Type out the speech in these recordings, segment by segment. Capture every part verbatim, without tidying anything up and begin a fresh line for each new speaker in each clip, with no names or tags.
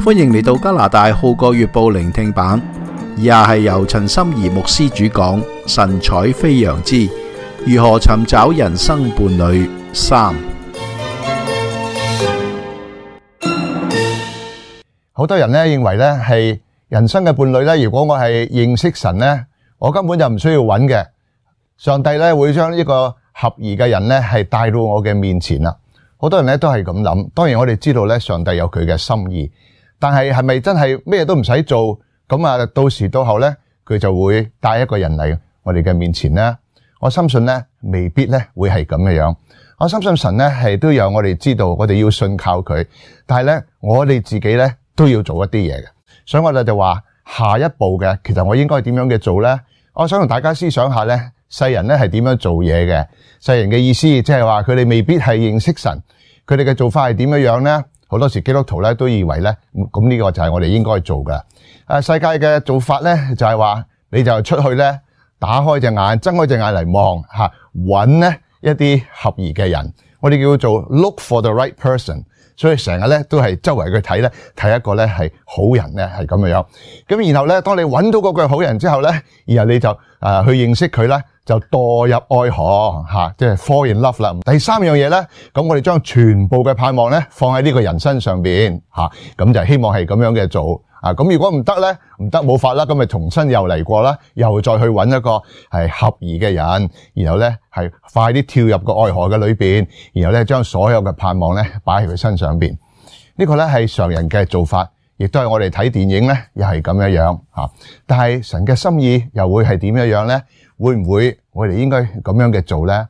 歡迎嚟到加拿大《號角月報》聆聽版，以下係由陳心怡牧師主講，神采飛揚之如何尋找人生伴侶三。
好多人咧認為咧係人生嘅伴侶咧，如果我係認識神咧，我根本就唔需要揾嘅。上帝咧會將呢個合宜嘅人咧係帶到我嘅面前啦。好多人咧都係咁諗。當然我哋知道咧，上帝有佢嘅心意。但係係咪真係咩都唔使做咁啊？到時到後咧，佢就會帶一個人嚟我哋嘅面前咧。我深信咧，未必咧會係咁嘅樣。我深信神咧係都有我哋知道，我哋要信靠佢。但係咧，我哋自己咧都要做一啲嘢嘅。所以我哋就話下一步嘅，其實我應該點樣嘅做咧？我想同大家思想下咧，世人咧係點樣做嘢嘅？世人嘅意思即係話佢哋未必係認識神，佢哋嘅做法係點樣樣咧？好多時基督徒咧都以為咧，咁呢個就係我哋應該做嘅。誒，世界嘅做法咧就係話，你就出去咧，打開隻眼，睜開隻眼嚟望吓，揾咧一啲合宜嘅人。我哋叫做 look for the right person。所以成日咧都係周圍去睇咧，睇一個咧係好人咧係咁樣樣。咁然後咧，當你揾到嗰個好人之後咧，然後你就誒、呃、去認識佢咧，就墮入愛河吓，即係 fall in love 啦。第三樣嘢咧，咁我哋將全部嘅盼望咧放喺呢個人身上邊吓，咁就希望係咁樣嘅做啊。咁如果唔得咧，唔得冇法啦，咁咪重新又嚟過啦，又再去揾一個係合宜嘅人，然後咧係快啲跳入個愛河嘅裏邊，然後咧將所有嘅盼望咧擺喺佢身上邊。呢個咧係常人嘅做法，亦都係我哋睇電影咧又係咁樣樣吓。但係神嘅心意又會係點樣樣咧？會唔會我哋應該咁樣嘅做咧？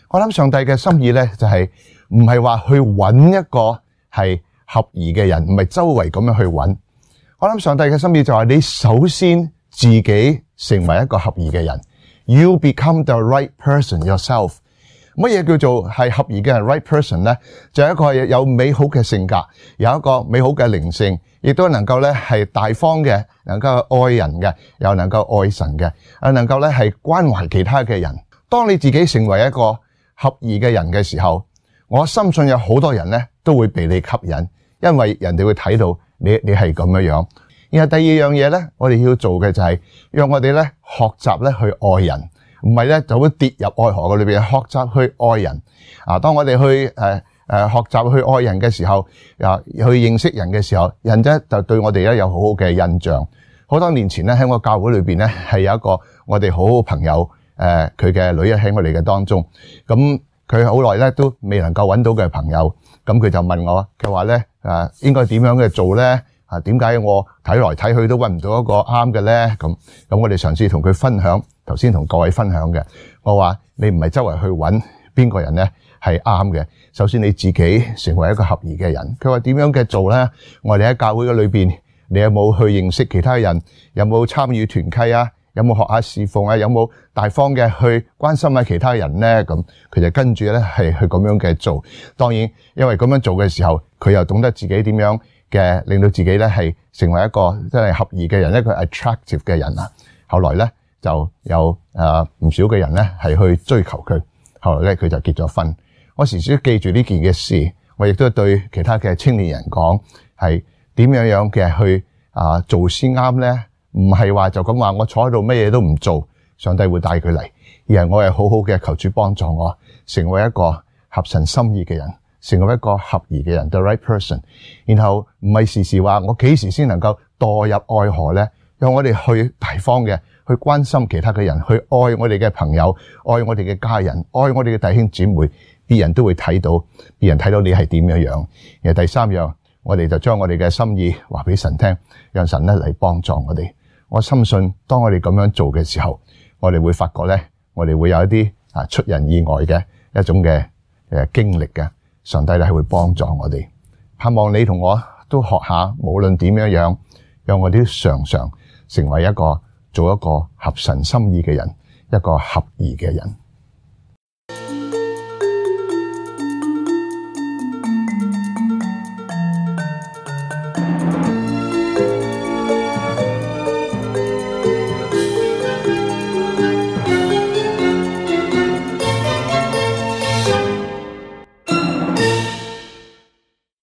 我諗上帝嘅心意咧就係唔係話去揾一個係合宜嘅人，唔係周圍咁樣去揾。我諗上帝嘅心意就係你首先自己成為一個合宜嘅人。You become the right person yourself。乜嘢叫做係合宜嘅人 right person 咧？就係一個有美好嘅性格，有一個美好嘅靈性，亦都能夠咧係大方嘅，能夠愛人嘅，又能夠愛神嘅，啊能夠咧係關懷其他嘅人。當你自己成為一個合宜嘅人嘅時候，我深信有好多人咧都會被你吸引，因為人哋會睇到你你係咁樣樣。然後第二樣嘢咧，我哋要做嘅就係讓我哋咧學習咧去愛人。唔係咧，就會跌入愛河嘅裏邊，學習去愛人。啊，當我哋去誒誒、呃、學習去愛人嘅時候，啊去認識人嘅時候，人咧就對我哋咧有好好嘅印象。好多年前咧喺我教會裏邊咧係有一個我哋好好朋友，誒佢嘅女喺我哋嘅當中。咁佢好耐咧都未能夠揾到嘅朋友，咁佢就問我，佢話咧誒應該點樣嘅做咧？啊點解我睇來睇去都揾唔到一個啱嘅咧？咁咁我哋嘗試同佢分享。頭先同各位分享嘅，我話你唔係周圍去揾邊個人咧係啱嘅，首先你自己成為一個合宜嘅人。佢話點樣嘅做咧？我哋喺教會嘅裏邊，你有冇去認識其他人？有冇參與團契啊？有冇學下侍奉啊？有冇大方嘅去關心下其他人咧？咁佢就跟住咧係去咁樣嘅做。當然，因為咁樣做嘅時候，佢又懂得自己點樣嘅令到自己咧係成為一個真係合宜嘅人，一個 attractive 嘅人啊。後來咧。就有誒唔少嘅人咧係去追求佢，後來咧佢就結咗婚。我時時都記住呢件嘅事，我亦都對其他嘅青年人講，係點樣樣嘅去啊做先啱咧？唔係話就咁話我坐喺度乜嘢都唔做，上帝會帶佢嚟，而係我係好好嘅求主幫助我成為一個合神心意嘅人，成為一個合宜嘅人 ，the right person。然後唔係時時話我幾時先能夠墮入愛河咧？讓我哋去大方嘅。去關心其他嘅人，去愛我哋嘅朋友，愛我哋嘅家人，愛我哋嘅弟兄姊妹，別人都會睇到，別人睇到你係點樣樣。然後第三樣，我哋就將我哋嘅心意話俾神聽，讓神咧嚟幫助我哋。我深信，當我哋咁樣做嘅時候，我哋會發覺咧，我哋會有一啲啊出人意外嘅一種嘅誒經歷嘅。上帝咧係會幫助我哋。盼望你同我都學下，無論點樣樣，讓我哋都常常成為一個。做一個合神心意嘅人，一個合宜嘅人。